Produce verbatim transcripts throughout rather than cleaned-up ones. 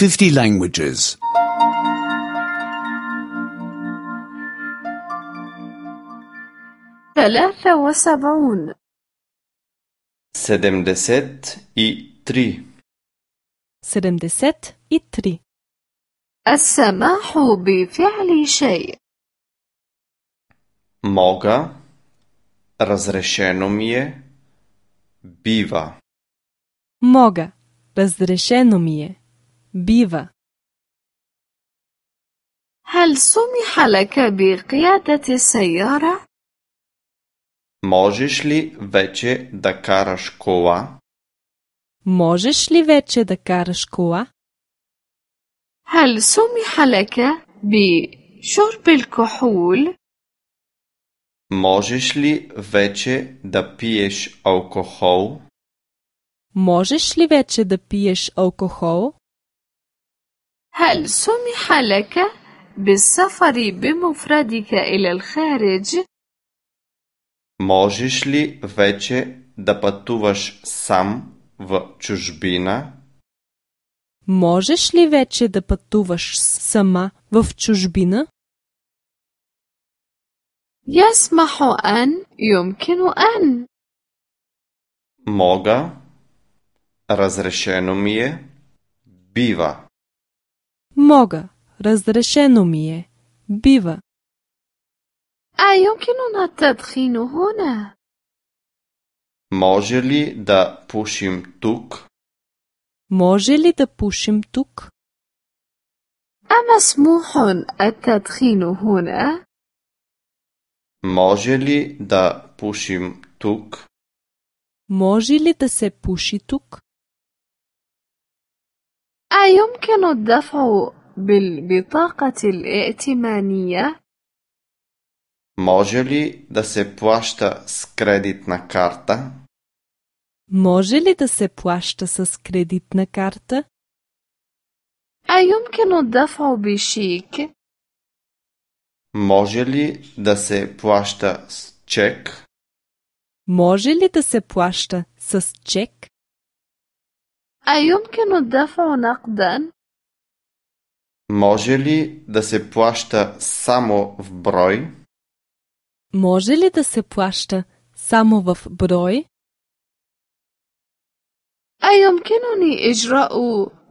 fifty languages. ثلاثة وسبعون sedemdeset i tri. sedemdeset i tri. السماح بفعل شيء. Moga, razrešeno mi je, biva. Moga, razrešeno mi je, biva. هل سمح لك بقيادة السيارة؟ Možeš li veće da karaš kola? Možeš li veće da karaš kola? هل سمح لك بشرب الكحول؟ Možeš li veće da piješ alkohol? Možeš li veće da piješ alkohol? هل سمح لك بالسفر بمفردك إلى الخارج؟ Možeš li veće da patuvaš sam v čужбина? Možeš li veće da patuvaš sama v čужбина? يسمح أن يمكن أن Moga, razrešeno mi je, biva. Moga, razrešeno mi je, biva. أيمكننا التدخين هنا؟ Može li da pušim tuk? Može li da pušim tuk? أمسموح التدخين هنا؟ Može li da pušim tuk? Može li da se puši tuk? أيمكن الدفع بالبطاقة الائتمانية؟ Može li da se plašta s kreditna karta? Može li da se plašta s kreditna karta? أيمكن الدفع بشيك؟ Može li da se plašta s ček? Može li da se plašta s ček? أيمكن الدفع نقدا؟ Može li da se plašta samo v broj? Može li da se plašta samo v broj? أيمكنني إجراء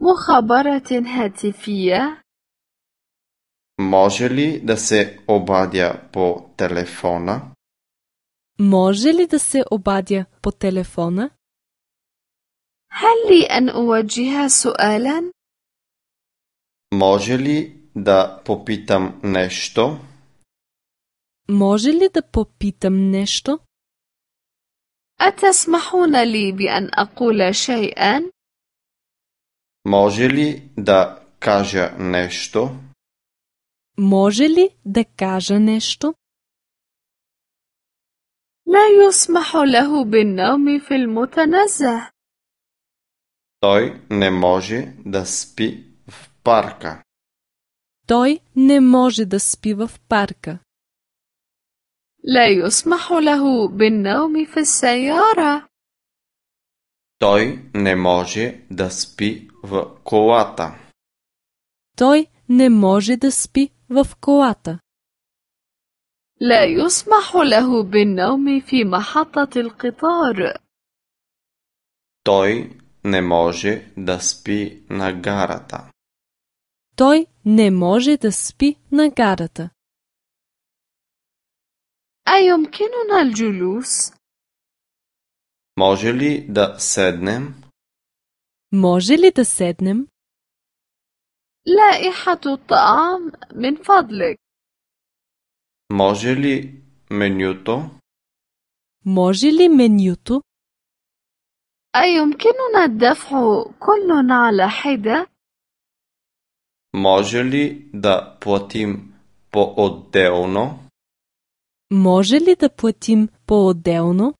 مخابرة هاتفية؟ Može li da se obadja po telefona? Može li da se obadja po telefona? هل لي أن أوجه سؤالا؟ Može li da popitam nešto? Može li da popitam nešto? أتسمحون لي بأن أقول شيئا؟ Može li da kaža nešto? Može li da kaže nešto? لا يسمح له بالنوم في المتنزه. Той не може да спи в парка. Той не може да спи в парка. لا يسمح له بالنوم في السيارة. Той не може да спи в колата. Той не може да спи в колата. لا يسمح له بالنوم في محطة القطار. Той не може да спи на гарата. Той не може да спи на гарата. أيمكننا الجلوس؟ Може ли да седнем? Може ли да седнем? لائحة الطعام من فضلك. Може ли менюто? Може ли менюто? أيمكننا الدفع كل على حدة؟ Може ли да платим по-отделно? Може ли да платим по-отделно?